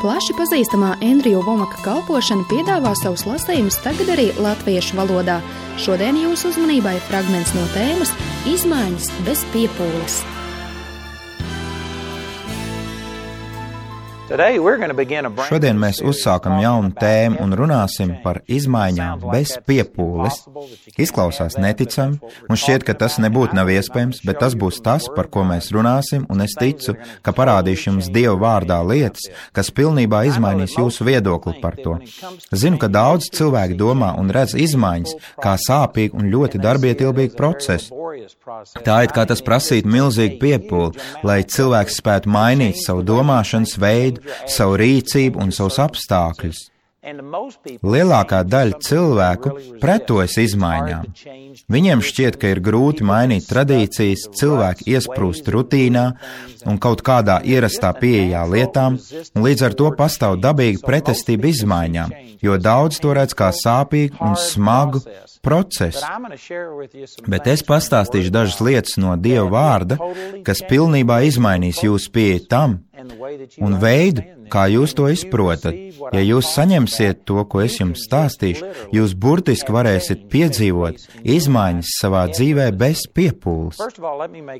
Plaši pazīstamā Endriju Vomaka kalpošana piedāvā savus lasījumus tagad arī latviešu valodā. Šodien jūsu uzmanībai fragments no tēmas Izmaiņas bez piepūles. Šodien mēs uzsākam jaunu tēmu un runāsim par izmaiņām bez piepūles. Izklausās neticami, un šķiet, ka tas nebūtu nav iespējams, bet tas būs tas, par ko mēs runāsim, un es ticu, ka parādīšu jums Dieva vārdā lietas, kas pilnībā izmainīs jūsu viedokli par to. Zinu, ka daudz cilvēki domā un redz izmaiņas kā sāpīgu un ļoti darbietilpīgu procesu. Tā it kā tas prasītu milzīgu piepūli, lai cilvēks spētu mainīt savu domāšanas veidu, savu rīcību un savus apstākļus. Lielākā daļa cilvēku pretojas izmaiņām. Viņiem šķiet, ka ir grūti mainīt tradīcijas, cilvēki iesprūst rutīnā un kaut kādā ierastā pieejā lietām, un līdz ar to pastāv dabīga pretestība izmaiņām, jo daudz to redz kā sāpīgu un smagu procesu. Bet es pastāstīšu dažas lietas no Dieva vārda, kas pilnībā izmainīs jūsu pieeju tam un veidu, kā jūs to izprotat. Ja jūs saņemsiet to, ko es jums stāstīšu, jūs burtiski varēsiet piedzīvot izmaiņas savā dzīvē bez piepūles.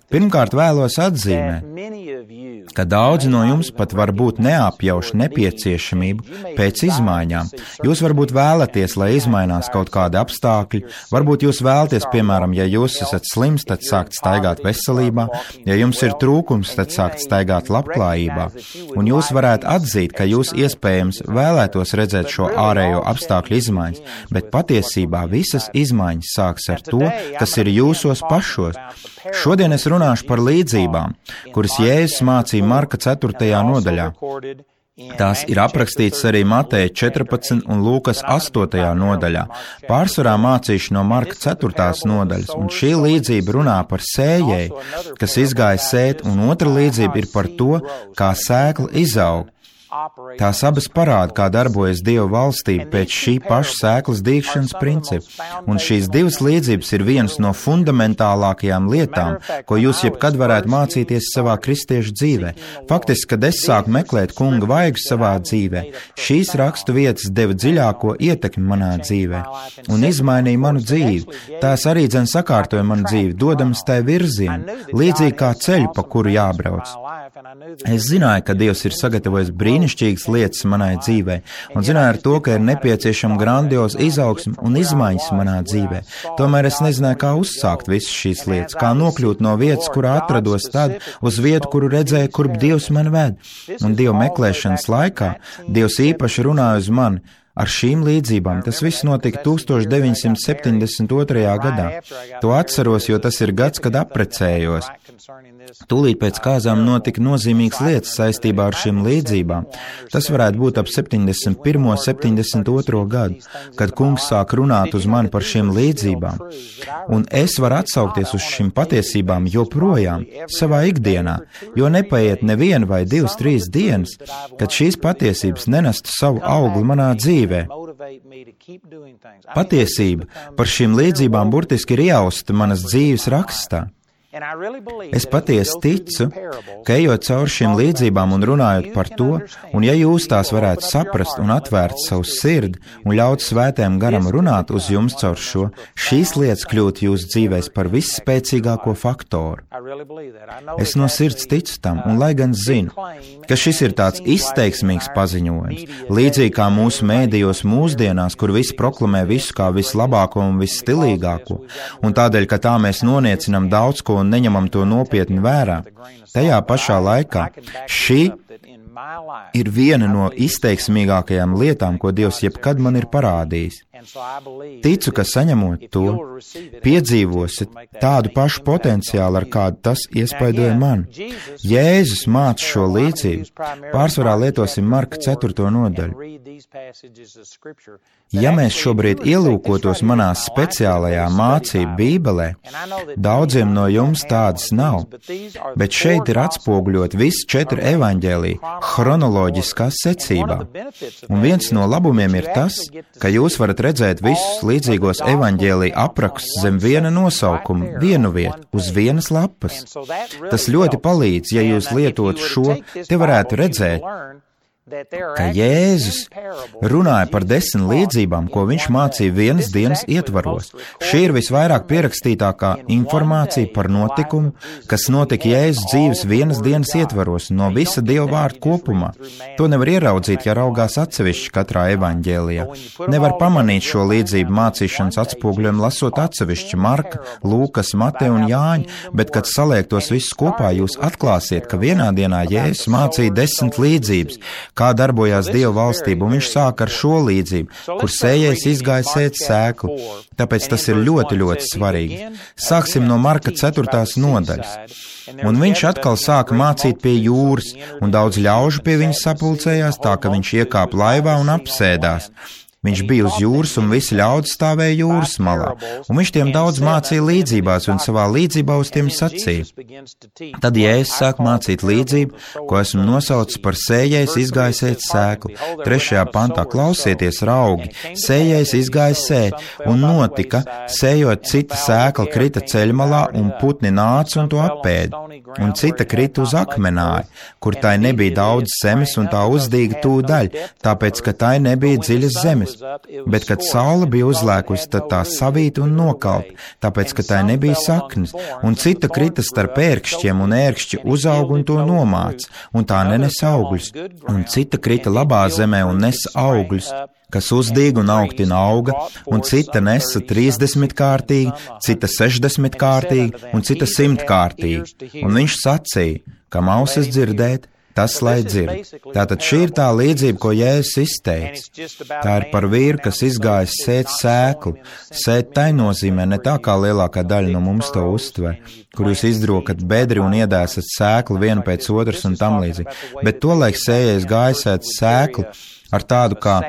Pirmkārt vēlos atzīmēt, ka daudzi no jums pat varbūt neapjauš nepieciešamību pēc izmaiņām. Jūs varbūt vēlaties, lai izmainās kaut kādi apstākļi, varbūt jūs vēlaties, piemēram, ja jūs esat slims, tad sākt staigāt veselībā, ja jums ir trūkums, tad sākt staigāt labklājībā, un jūs varētu atzīt, ka jūs iespējams vēlētos redzēt šo ārējo apstākļu izmaiņas, bet patiesībā visas izmaiņas sāks ar to, kas ir jūsos pašos. Šodien es runāšu par līdzībām, kuras Jēzus mācīja Marka 4. nodaļā. Tās ir aprakstītas arī Mateja 14 un Lūkas 8. nodaļā. Pārsvarā mācīšu no Marka 4. nodaļas, un šī līdzība runā par sējēju, kas izgāja sēt, un otra līdzība ir par to, kā sēkla izaug. Tās abas parāda, kā darbojas Dieva valstība pēc šī paša sēklas dīgšanas principa, un šīs divas līdzības ir vienas no fundamentālākajām lietām, ko jūs jebkad varētu mācīties savā kristiešu dzīvē. Faktiski, kad es sāku meklēt kunga vaigu savā dzīvē, šīs rakstu vietas deva dziļāko ietekmi manā dzīvē un izmainīja manu dzīvi. Tās arī dzen sakārtoja manu dzīvi, dodams tai virzienu, līdzīgi kā ceļu, pa kuru jābrauc. Es zināju, ka Dievs ir sagatavojis brīnišķīgas lietas manai dzīvē, un zināju ar to, ka ir nepieciešama grandioza izaugsme un izmaiņas manā dzīvē. Tomēr es nezināju, kā uzsākt visas šīs lietas, kā nokļūt no vietas, kurā atrados tad, uz vietu, kuru redzēju, kurp Dievs mani ved. Un Dieva meklēšanas laikā Dievs īpaši runāja uz mani. Ar šīm līdzībām tas viss notika 1972. gadā. To atceros, jo tas ir gads, kad apprecējos. Tūlīt pēc kāzām notika nozīmīgas lietas saistībā ar šīm līdzībām. Tas varētu būt ap 71. 72. gadu, kad kungs sāk runāt uz mani par šīm līdzībām. Un es varu atsaukties uz šīm patiesībām joprojām savā ikdienā, jo nepaiet neviena vai 2-3 dienas, kad šīs patiesības nenestu savu augli manā dzīvē. Patiesība par šīm līdzībām burtiski ir iausta manas dzīves rakstā. Es patiesi ticu, ka ejot cauri šīm līdzībām un runājot par to, un ja jūs tās varētu saprast un atvērt savu sirdi un ļaut svētajam garam runāt uz jums caur šo, šīs lietas kļūt jūsu dzīvēs par visspēcīgāko faktoru. Es no sirds ticu tam, un lai gan zinu, ka šis ir tāds izteiksmīgs paziņojums, līdzīgi kā mūsu mēdījos mūsdienās, kur visi proklamē visu kā vislabāko un visstilīgāko, un tādēļ, ka tā mēs noniecinam daudz ko un neņemam to nopietni vērā. Tajā pašā laikā šī ir viena no izteiksmīgākajām lietām, ko Dievs jebkad man ir parādījis. Ticu, ka saņemot to, piedzīvosit tādu pašu potenciālu, ar kādu tas iespaidoja man. Jēzus māca šo līdzību. Pārsvarā lietosim Marka 4. nodaļu. Ja mēs šobrīd ielūkotos manā speciālajā mācību bībelē, daudziem no jums tādas nav, bet šeit ir atspoguļot visi 4 evaņģēliji chronoloģiskā secībā. Un viens no labumiem ir tas, ka jūs varat redzēt visus līdzīgos evaņģēlija aprakstus zem viena nosaukuma, vienu vietu, uz vienas lapas. Tas ļoti palīdz, ja jūs lietot šo, te varētu redzēt, ka Jēzus runāja par 10 līdzībām, ko viņš mācīja vienas dienas ietvaros. Šī ir visvairāk pierakstītākā informācija par notikumu, kas notika Jēzus dzīves vienas dienas ietvaros no visa Dieva vārda kopumā. To nevar ieraudzīt, ja raugās atsevišķi katrā evaņģēlijā. Nevar pamanīt šo līdzību mācīšanas atspoguļojumu lasot atsevišķi Marka, Lūkas, Mateja un Jāņa, bet, kad saliek tos visus kopā, jūs atklāsiet, ka vienā dienā Jēzus mācīja 10 līdzības, kā darbojās Dieva valstība, un viņš sāk ar šo līdzību, kur sējējs izgāja sēt sēklu. Tāpēc tas ir ļoti, ļoti svarīgi. Sāksim no Marka 4. nodaļas. Un viņš atkal sāka mācīt pie jūras, un daudz ļaužu pie viņa sapulcējās, tā ka viņš iekāpa laivā un apsēdās. Viņš bija uz jūras, un visi ļaudis stāvēja jūras malā, un viņš tiem daudz mācīja līdzībās, un savā līdzībā uz tiem sacīja. Tad Jēzus sāk mācīt līdzību, ko esmu nosaucis par sējējs izgāja sēt sēklu. 3. pantā klausieties, raugi, sējējs izgāja sēt, un notika, sējot cita sēkla krita ceļmalā, un putni nāca un to apēda, un cita krita uz akmenāju, kur tai nebija daudz zemes, un tā uzdīga tūdaļ, tāpēc, ka tai nebija dziļas zemes. Bet, kad saule bija uzlēkusi, tad tā savīta un nokalta, tāpēc, ka tai nebija saknes, un cita krita starp ērkšķiem, un ērkšķi uzauga un to nomāca, un tā nenes augļus, un cita krita labā zemē un nesa augļus, kas uzdīga un augtina auga, un cita nesa 30-kārtīgi, cita 60-kārtīgi, un cita 100-kārtīgi. Un viņš sacīja, kam ausis dzirdēt, tas lai dzird. Tātad šī ir tā līdzība, ko Jēzus izteica. Tā ir par vīru, kas izgājis sēt sēklu. Sēt tai nozīmē ne tā, kā lielākā daļa no mums to uztver, kur jūs izdrokat bedri un iedēsat sēklu vienu pēc otras un tam līdzīgi. Bet tolaik sējējs gāja sēt sēklu ar tādu kā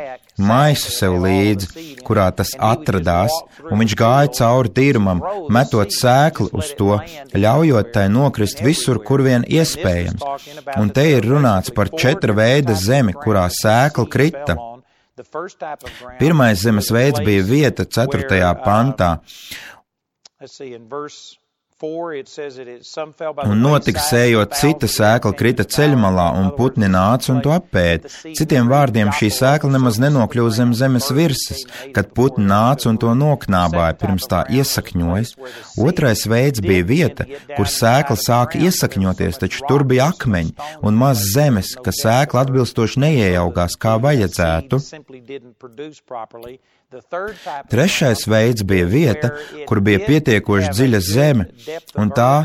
maisu sev līdzi, kurā tas atradās, un viņš gāja cauri tīrumam, metot sēklu uz to, ļaujot tai nokrist visur, kur vien iespējams. Un te ir runāts par 4 veida zemi, kurā sēkla krita. Pirmais zemes veids bija vieta 4. pantā. Un notika sējot, cita sēkla krita ceļmalā, un putni nāca un to apēda. Citiem vārdiem, šī sēkla nemaz nenokļuva zem zemes virsmas, kad putni nāca un to noknābāja, pirms tā iesakņojas. Otrais veids bija vieta, kur sēkla sāka iesakņoties, taču tur bija akmeņi un maz zemes, ka sēkla atbilstoši neieaugās, kā vajadzētu. Trešais veids bija vieta, kur bija pietiekoši dziļa zeme, un tā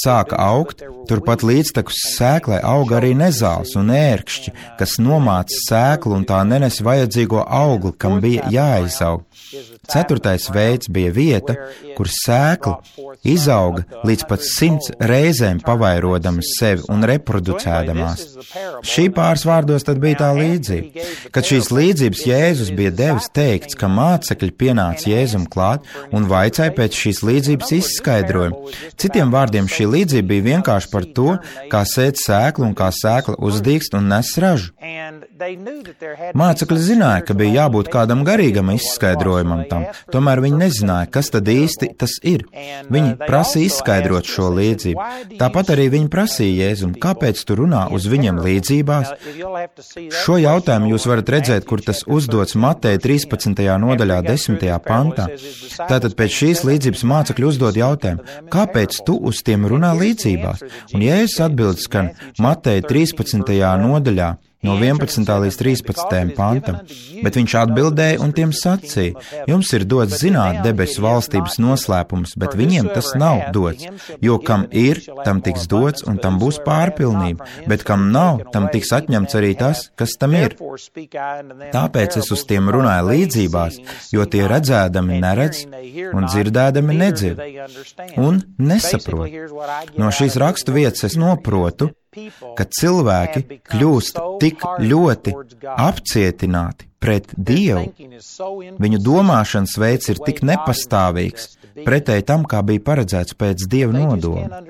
sāka augt, turpat līdztekus sēklai auga arī nezāles un ērkšķi, kas nomāca sēklu un tā nenes vajadzīgo augli, kam bija jāizaug. 4. veids bija vieta, kur sēkla izauga līdz pat 100 reizēm pavairodama sevi un reproducēdamās. Šī pāris vārdos tad bija tā līdzība. Kad šīs līdzības Jēzus bija devis, teikts, ka mācekļi pienāca Jēzum klāt un vaicāja pēc šīs līdzības izskaidrojumu. Citiem vārdiem šī līdzība bija vienkārši par to, kā sēt sēklu un kā sēkla uzdīgst un nes ražu. Mācekļi zināja, ka bija jābūt kādam garīgam izskaidrojumam tam, tomēr viņi nezināja, kas tad īsti tas ir. Viņi prasīja izskaidrot šo līdzību. Tāpat arī viņi prasīja Jēzum, kāpēc tu runā uz viņiem līdzībās? Šo jautājumu jūs varat redzēt, kur tas uzdots Mateja 13. nodaļā 10. pantā. Tātad pēc šīs līdzības mācekļi uzdod jautājumu, kāpēc tu uz tiem runā līdzībās? Un Jēzus atbild skan Mateja 13. nodaļā, no 11. līdz 13. pantam, bet viņš atbildēja un tiem sacīja, jums ir dots zināt debesu valstības noslēpums, bet viņiem tas nav dots, jo kam ir, tam tiks dots un tam būs pārpilnība, bet kam nav, tam tiks atņemts arī tas, kas tam ir. Tāpēc es uz tiem runāju līdzībās, jo tie redzēdami neredz un dzirdēdami nedzird un nesaprot. No šīs rakstu vietas es noprotu, ka cilvēki kļūst tik ļoti apcietināti pret Dievu, viņu domāšanas veids ir tik nepastāvīgs, pretēji tam, kā bija paredzēts pēc Dieva nodoma,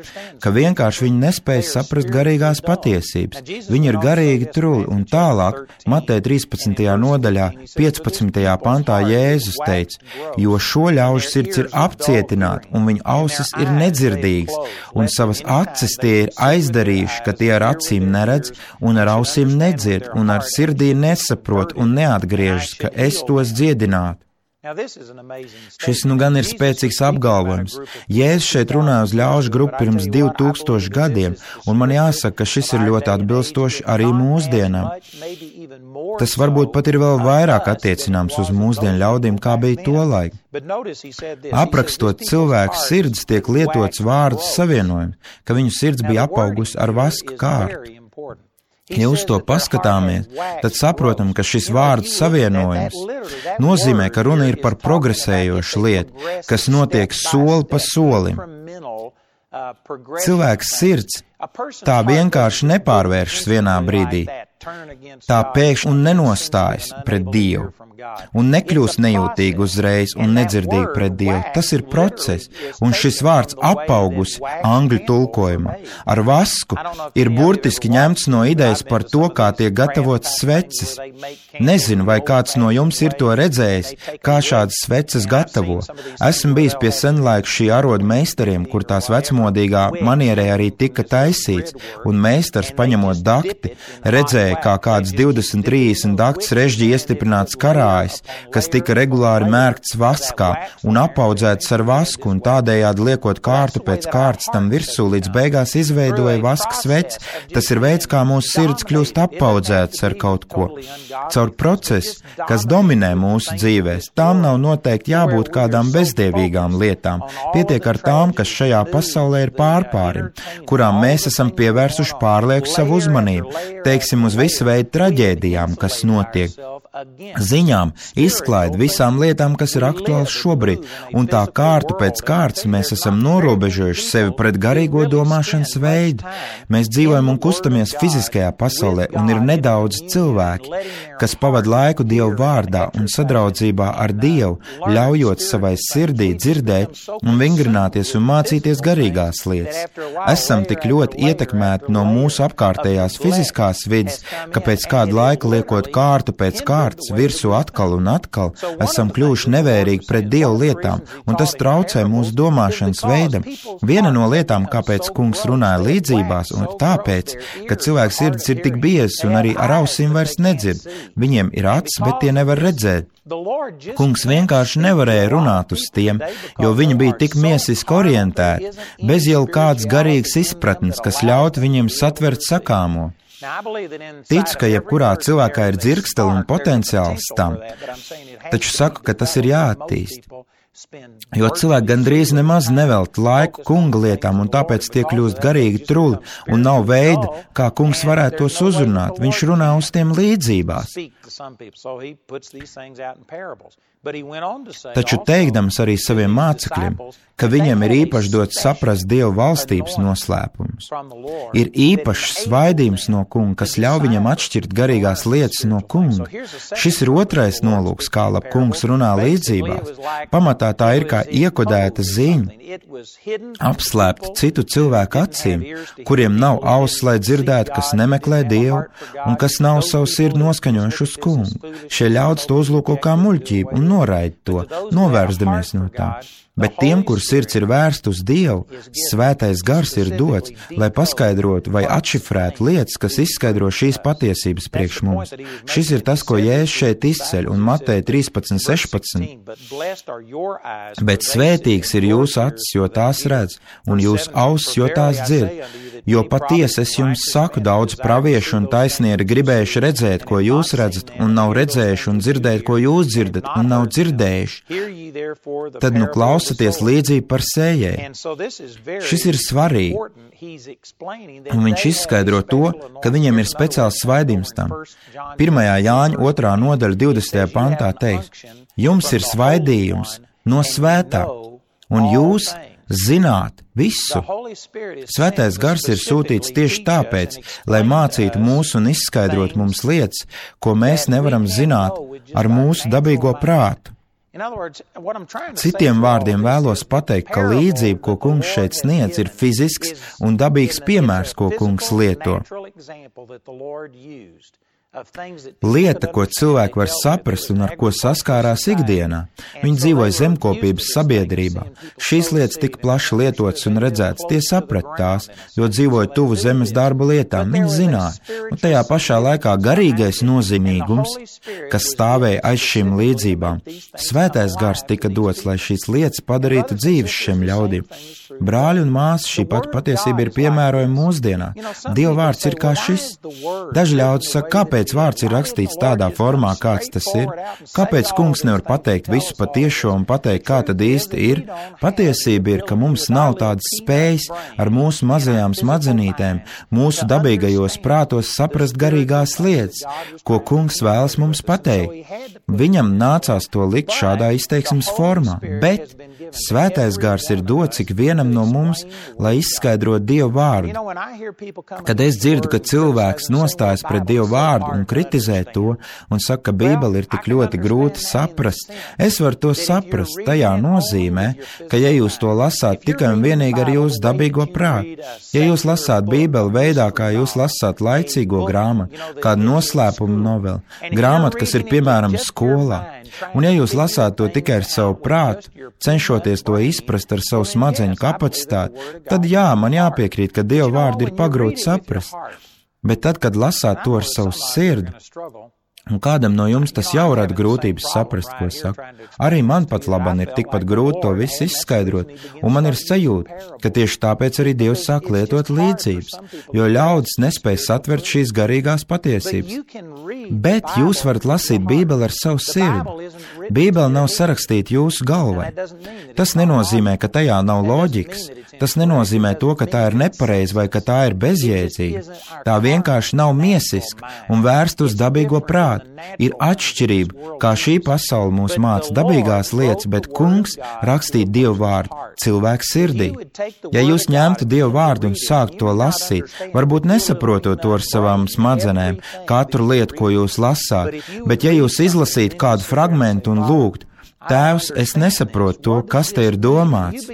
ka vienkārši viņi nespēja saprast garīgās patiesības. Viņi ir garīgi truli, un tālāk, Mateja 13. nodaļā, 15. pantā Jēzus teica, jo šo ļaužu sirds ir apcietināta, un viņu ausis ir nedzirdīgas, un savas acis tie ir aizdarījuši, ka tie ar acīm neredz, un ar ausīm nedzird, un ar sirdī nesaprot un neatgriežas, ka es tos dziedinātu. Šis nu gan ir spēcīgs apgalvojums. Jēzus šeit runāja uz ļaužu grupu pirms 2000 gadiem, un man jāsaka, ka šis ir ļoti atbilstoši arī mūsdienām. Tas varbūt pat ir vēl vairāk attiecināms uz mūsdienu ļaudīm, kā bija tolaik. Aprakstot cilvēku sirds, tiek lietots vārds savienojums, ka viņu sirds bija apaugusi ar vaska kārtu. Ja uz to paskatāmies, tad saprotam, ka šis vārdu savienojums nozīmē, ka runa ir par progresējošu lietu, kas notiek soli pa solim. Cilvēks sirds tā vienkārši nepārvēršas vienā brīdī. Tā pēkšņi un nenostājas pret Dievu, un nekļūst nejūtīgi uzreiz un nedzirdīgi pret Dievu. Tas ir process, un šis vārds apaugusi angļu tulkojumā ar vasku ir burtiski ņemts no idejas par to, kā tiek gatavotas sveces. Nezinu, vai kāds no jums ir to redzējis, kā šādas sveces gatavo. Esmu bijis pie senlaiku šī arodu meistariem, kur tās vecmodīgā manierē arī tika taisīts, un meistars, paņemot dakti, redzēja, kā kāds 20-30 dakts režģi iestiprināts karājs, kas tika regulāri mērkts vaskā un apaudzēts ar vasku, un tādējādi liekot kārtu pēc kārtas tam virsū, līdz beigās izveidoja vaska sveci. Tas ir veids, kā mūsu sirds kļūst apaudzēts ar kaut ko. Caur procesu, kas dominē mūsu dzīvēs, tām nav noteikti jābūt kādām bezdievīgām lietām. Pietiek ar tām, kas šajā pasaulē ir pārpārim, kurām mēs esam pievērsuši pārlieku savu uzmanību, teiksim, uz visu veidu traģēdijām, kas notiek, ziņām, izklaidi visām lietām, kas ir aktuāls šobrīd, un tā kārtu pēc kārtas mēs esam norobežojuši sevi pret garīgo domāšanas veidu. Mēs dzīvojam un kustamies fiziskajā pasaulē, un ir nedaudz cilvēki, kas pavada laiku Dievu vārdā un sadraudzībā ar Dievu, ļaujot savai sirdī dzirdēt un vingrināties un mācīties garīgās lietas. Esam tik ļoti ietekmēti no mūsu apkārtējās fiziskās vidas, ka pēc kāda laika liekot kārtu pēc kārtas virsū atkal un atkal, esam kļuvuši nevērīgi pret Dievu lietām, un tas traucē mūsu domāšanas veidam. Viena no lietām, kāpēc kungs runāja līdzībās, un tāpēc, ka cilvēks sirds ir tik biezs un arī ar ausīm vairs nedzird. Viņiem ir acis, bet tie nevar redzēt. Kungs vienkārši nevarēja runāt uz tiem, jo viņi bija tik miesiski orientēti, bez jau kādas garīgas izpratnes, kas ļautu viņiem satvert sakāmo. Ticu, ka jebkurā cilvēkā ir dzirksteli un potenciāls tam, taču saku, ka tas ir jāattīst. Jo cilvēki gandrīz nemaz nevelta laiku kunga lietām, un tāpēc tie kļūst garīgi truli, un nav veida, kā kungs varētu tos uzrunāt. Viņš runā uz tiem līdzībās. Taču teikdams arī saviem mācekļiem, ka viņiem ir īpaši dots saprast Dieva valstības noslēpumus. Ir īpašs svaidījums no kunga, kas ļauj viņam atšķirt garīgās lietas no kunga. Šis ir otrais nolūks, kā lab kungs runā līdzībās. Pamatā tā ir kā iekodēta ziņa, apslēpta citu cilvēku acīm, kuriem nav auss, lai dzirdētu, kas nemeklē Dievu un kas nav savu sirdi noskaņojuši uz kungu. Šie ļaudis to uzlūko kā muļķību un noraida to, novērstamies no tā. Bet tiem, kur sirds ir vērsta uz Dievu, svētais gars ir dots, lai paskaidrotu vai atšifrētu lietas, kas izskaidro šīs patiesības priekš mums. Šis ir tas, ko Jēzus šeit izceļ, un Mateja 13:16. Bet svētīgs ir jūsu acis, jo tās redz, un jūsu ausis, jo tās dzird. Jo patiesi es jums saku, daudz praviešu un taisnieri gribējuši redzēt, ko jūs redzat, un nav redzējuši, un dzirdēt, ko jūs dzirdat, un nav dzirdējuši. Tad nu klausaties līdzību par sējēju. Šis ir svarīgi, un viņš izskaidro to, ka viņam ir speciāls svaidījums tam. 1. Jāņa 2. nodaļa 20. pantā teiks, jums ir svaidījums no svētā, un jūs zināt visu. Svētais gars ir sūtīts tieši tāpēc, lai mācītu mūs un izskaidrot mums lietas, ko mēs nevaram zināt ar mūsu dabīgo prātu. Citiem vārdiem vēlos pateikt, ka līdzība, ko kungs šeit sniedz, ir fizisks un dabīgs piemērs, ko kungs lieto. Lieta, ko cilvēki var saprast un ar ko saskārās ikdienā. Viņi dzīvoja zemkopības sabiedrībā. Šīs lietas tika plaši lietotas un redzētas. Tie saprata tās, jo dzīvoja tuvu zemes darba lietām. Viņi zināja. Un tajā pašā laikā garīgais nozīmīgums, kas stāvēja aiz šīm līdzībām. Svētais gars tika dots, lai šīs lietas padarītu dzīves šiem ļaudīm. Brāļi un māsas, šī pati patiesība ir piemērojama mūsdienās. Dieva vārds ir kā šis. Daži ļaudis saka, kāpēc vārds ir rakstīts tādā formā, kāds tas ir? Kāpēc kungs nevar pateikt visu patiešo un pateikt, kā tad īsti ir? Patiesība ir, ka mums nav tādas spējas ar mūsu mazajām smadzenītēm, mūsu dabīgajos prātos saprast garīgās lietas, ko kungs vēlas mums pateikt. Viņam nācās to likt šādā izteiksmes formā, bet Svētais gars ir dots ik vienam no mums, lai izskaidrotu Dievu vārdu. Kad es dzirdu, ka cilvēks nostājas pret Dievu vārdu un kritizē to un saka, ka Bībele ir tik ļoti grūti saprast, es varu to saprast. Tajā nozīmē, ka ja jūs to lasāt tikai un vienīgi ar jūsu dabīgo prātu, ja jūs lasāt Bībeli veidā, kā jūs lasāt laicīgo grāmatu, kādu noslēpumu noveli, grāmatu, kas ir piemēram skolā, un ja jūs lasāt to tikai ar savu prātu, cenšoties to izprast ar savu smadzeņu kapacitāti, tad jā, man jāpiekrīt, ka Dieva vārdu ir pagrūti saprast. Bet tad, kad lasāt to ar savu sirdi, un kādam no jums tas jau rada grūtības saprast, ko saka, arī man pat laban ir tikpat grūti to visu izskaidrot, un man ir sajūta, ka tieši tāpēc arī Dievs sāk lietot līdzības, jo ļaudis nespēj satvert šīs garīgās patiesības. Bet jūs varat lasīt Bībeli ar savu sirdi. Bībele nav sarakstīta jūsu galvai. Tas nenozīmē, ka tajā nav loģikas. Tas nenozīmē to, ka tā ir nepareiza vai ka tā ir bezjēdzīga. Tā vienkārši nav miesiska un vērsta uz dabīgo prātu. Ir atšķirība, kā šī pasaule mūs māca dabīgās lietas, bet kungs rakstīja Dievu vārdu cilvēku sirdī. Ja jūs ņemtu Dievu vārdu un sāktu to lasīt, varbūt nesaprotot to ar savām smadzenēm, katru lietu, ko jūs lasāt, bet ja jūs izlasītu kādu fragmentu un lūgtu, Tēvs, es nesaprotu to, kas te ir domāts,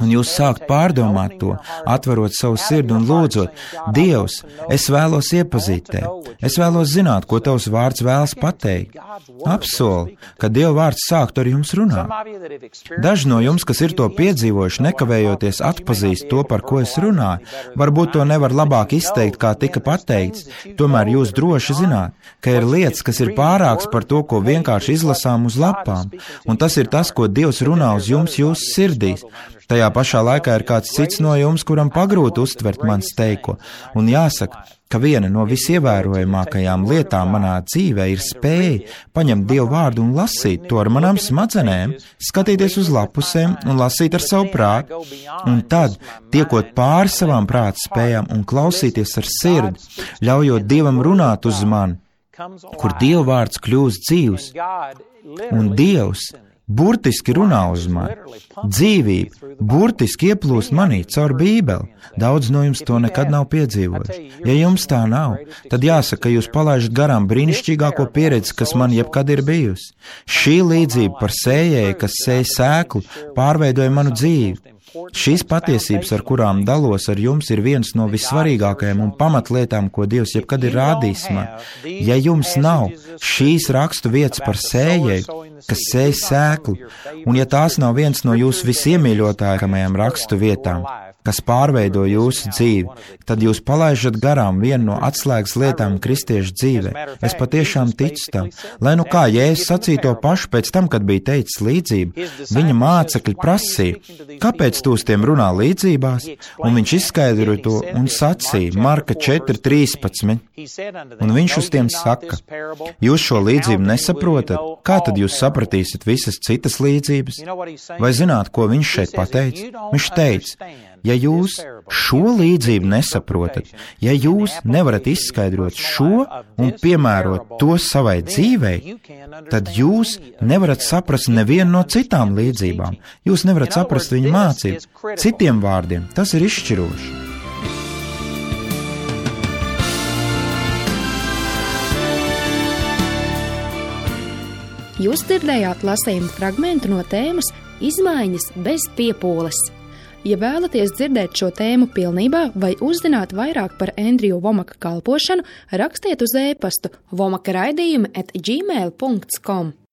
un jūs sākt pārdomāt to, atverot savu sirdi un lūdzot, Dievs, es vēlos iepazīt tevi, es vēlos zināt, ko tavs vārds vēlas pateikt. Apsoli, ka Dieva vārds sāktu ar jums runāt. Daži no jums, kas ir to piedzīvojuši, nekavējoties atpazīst to, par ko es runāju, varbūt to nevar labāk izteikt, kā tika pateikts, tomēr jūs droši zināt, ka ir lietas, kas ir pārāks par to, ko vienkārši izlasām uz lapām. Un tas ir tas, ko Dievs runā uz jums jūsu sirdīs. Tajā pašā laikā ir kāds cits no jums, kuram pagrūti uztvert mans teiko. Un jāsaka, ka viena no visievērojamākajām lietām manā dzīvē ir spēja paņemt Dievu vārdu un lasīt to ar manām smadzenēm, skatīties uz lapusēm un lasīt ar savu prātu. Un tad, tiekot pāri savām prāta spējām un klausīties ar sirdi, ļaujot Dievam runāt uz mani, kur Dieva vārds kļūst dzīvs. Un Dievs burtiski runā uz mani. Dzīvība burtiski ieplūst manī caur Bībeli. Daudz no jums to nekad nav piedzīvojuši. Ja jums tā nav, tad jāsaka, ka jūs palaižat garām brīnišķīgāko pieredzi, kas man jebkad ir bijusi. Šī līdzība par sējēju, kas sēj sēklu, pārveidoja manu dzīvi. Šīs patiesības, ar kurām dalos ar jums, ir viens no vissvarīgākajām un pamatlietām, ko Dievs jebkad ir rādījis man. Ja jums nav šīs rakstu vietas par sējēju, kas sēj sēklu, un ja tās nav viens no jūsu visiemīļotākajām rakstu vietām, kas pārveido jūsu dzīvi, tad jūs palaižat garām vienu no atslēgas lietām kristiešu dzīvē. Es patiešām ticu tam. Lai nu kā Jēzus sacīja to pašu pēc tam, kad bija teicis līdzību, viņa mācekļi prasīja, kāpēc tu uz tiem runā līdzībās, un viņš izskaidroja to un sacīja, Marka 4:13, un viņš uz tiem saka, jūs šo līdzību nesaprotat, kā tad jūs sapratīsiet visas citas līdzības? Vai zināt, ko viņš šeit pateica? Viņš teica, ja jūs šo līdzību nesaprotat, ja jūs nevarat izskaidrot šo un piemērot to savai dzīvei, tad jūs nevarat saprast nevienu no citām līdzībām. Jūs nevarat saprast viņa mācību. Citiem vārdiem, tas ir izšķiroši. Jūs dzirdējāt lasījumu fragmentu no tēmas Izmaiņas bez piepūles. Ja vēlaties dzirdēt šo tēmu pilnībā vai uzzināt vairāk par Endriju Vomaka kalpošanu, rakstiet uz e-pastu vomakaraidījumi@gmail.com.